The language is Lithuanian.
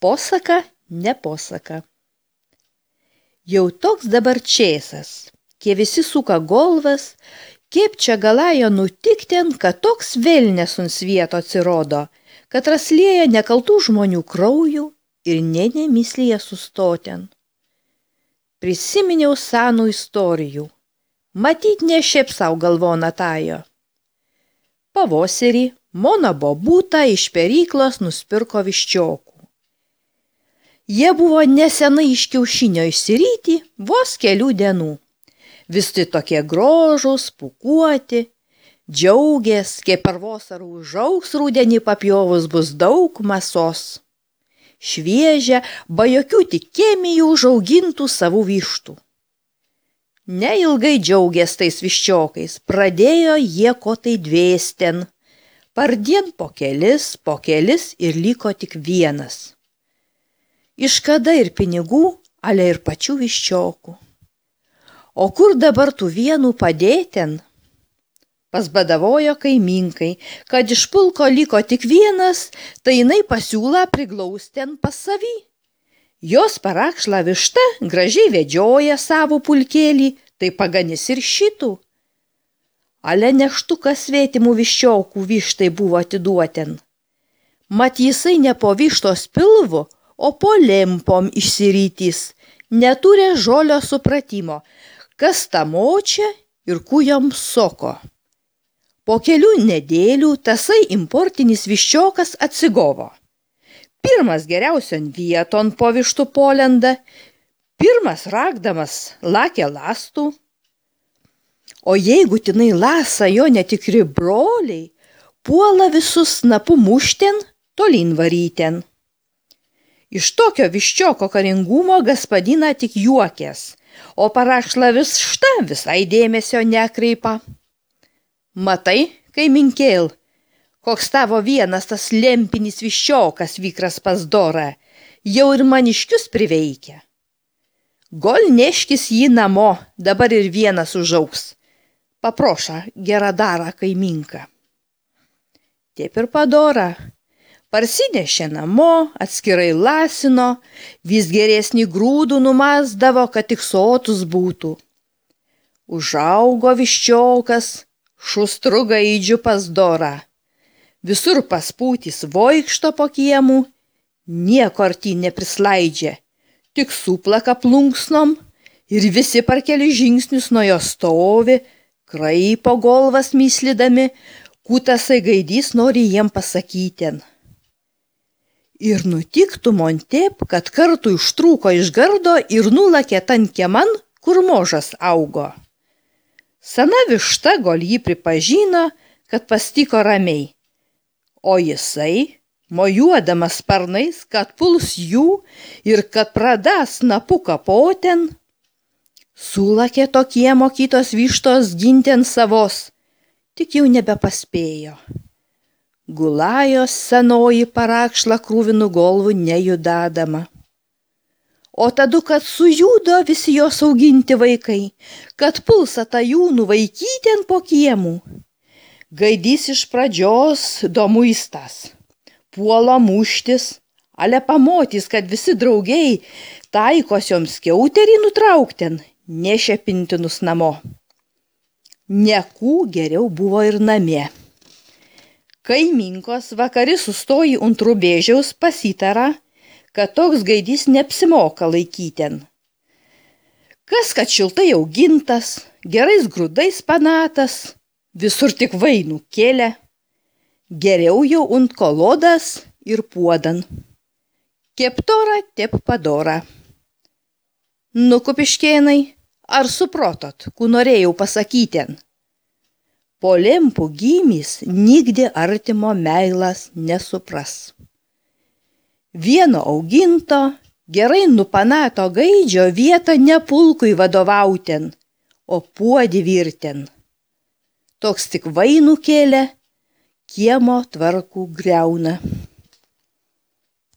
Posaka, ne posaka. Jau toks dabar čėsas, kie visi suka golvas, kaip čia galėjo nutikten, kad toks velnes ant svieto atsirodo, kad raslėja nekaltų žmonių kraujų ir nemyslėje sustoten. Prisiminiau senų istorijų, matyt ne šiaip sau galvona tajo. Pavosarį mona bobutą iš peryklos nuspirko viščiokų. Jie buvo nesenai iš kiaušinio išsiryti vos kelių dienų. Visi tokie grožūs, pūkuoti, džiaugės, kaip per vasarą užaugs rudenį papjovus bus daug mėsos. Šviežia, be jokių tik chemijų užaugintų savų vištų. Neilgai džiaugės tais viščiokais, pradėjo jie ko tai dvėsten. Pardien po kelis ir liko tik vienas. Iškada ir pinigų, ale ir pačių viščiokų. O kur dabar tų vienų padėten? Pasbadavojo kaiminkai, kad iš pulko liko tik vienas, tai jinai pasiūla priglausten pas savį. Jos parakšla višta gražiai vedžioja savo pulkėlį, tai paganys ir šitų. Ale neštukas svetimų viščiokų vištai buvo atiduoten. Mat jisai ne po vištos pilvu, o po lempom išsirytys, neturi žolio supratimo, kas ta močia ir kujom soko. Po kelių nedėlių tasai importinis viščiokas atsigovo. Pirmas geriausion vieton po vištų polenda, pirmas ragdamas lakė lastų. O jeigu tinai lasa jo netikri broliai, puola visus snapu mušten, tolyn varyten. Iš tokio viščioko karingumo gaspadina tik juokės, o parakšla višta visai dėmesio nekreipa. Matai, kaiminkėl, koks tavo vienas tas lempinis viščiokas vykras pas dorą, jau ir maniškius priveikia. Gol neškis jį namo, dabar ir vienas užaugs. Paproša geradarą kaiminką. Taip ir padora. Parsinešė namo, atskirai lasino, vis geresnį grūdų numasdavo, kad tik sotus būtų. Užaugo viščiokas, šustru gaidžiu pas dorą. Visur paspūtys voikšto po kiemų, nieko artyn neprislaidžia, tik suplaka plunksnom ir visi per keli žingsnius nuo jo stovi, kraipo golvas myslydami, kutasai gaidys nori jiem pasakyten. Ir nutiktų man taip, kad kartu ištrūko iš gardo ir nulakė tan kieman, kur možas augo. Sena višta gol jį pripažino, kad pastiko ramiai, o jisai, mojuodamas sparnais, kad puls jų ir kad pradas snapu kapoten, sulakė tokie mokytos vištos ginten savos, tik jau nebepaspėjo. Gulajos senoji parakšla krūvinų golvų nejudadama. O tadu, kad sujudo visi jos auginti vaikai, kad pulsa tą jų nuvaikyten po kiemų. Gaidys iš pradžios domuistas, puola muštis, ale pamotys, kad visi draugiai taikosioms skiauterį nutraukten, nešepintinus namo. Nekų geriau buvo ir namie. Kaiminkos vakari sustoji ant rubėžiaus pasitara, kad toks gaidys neapsimoka laikyten. Kas, kad šiltai augintas, gerais grūdais panatas, visur tik vainų kėlė, geriau jau ant kolodas ir puodan. Keptora tep padora. Nu, kupiškėnai, ar suprotot, ku norėjau pasakyten? Po lempų gimys nigdė artimo meilas nesupras. Vieno auginto, gerai nupanato gaidžio vietą ne pulkui vadovauten, o puodį virten. Toks tik vainų kėlė, kiemo tvarkų griauna.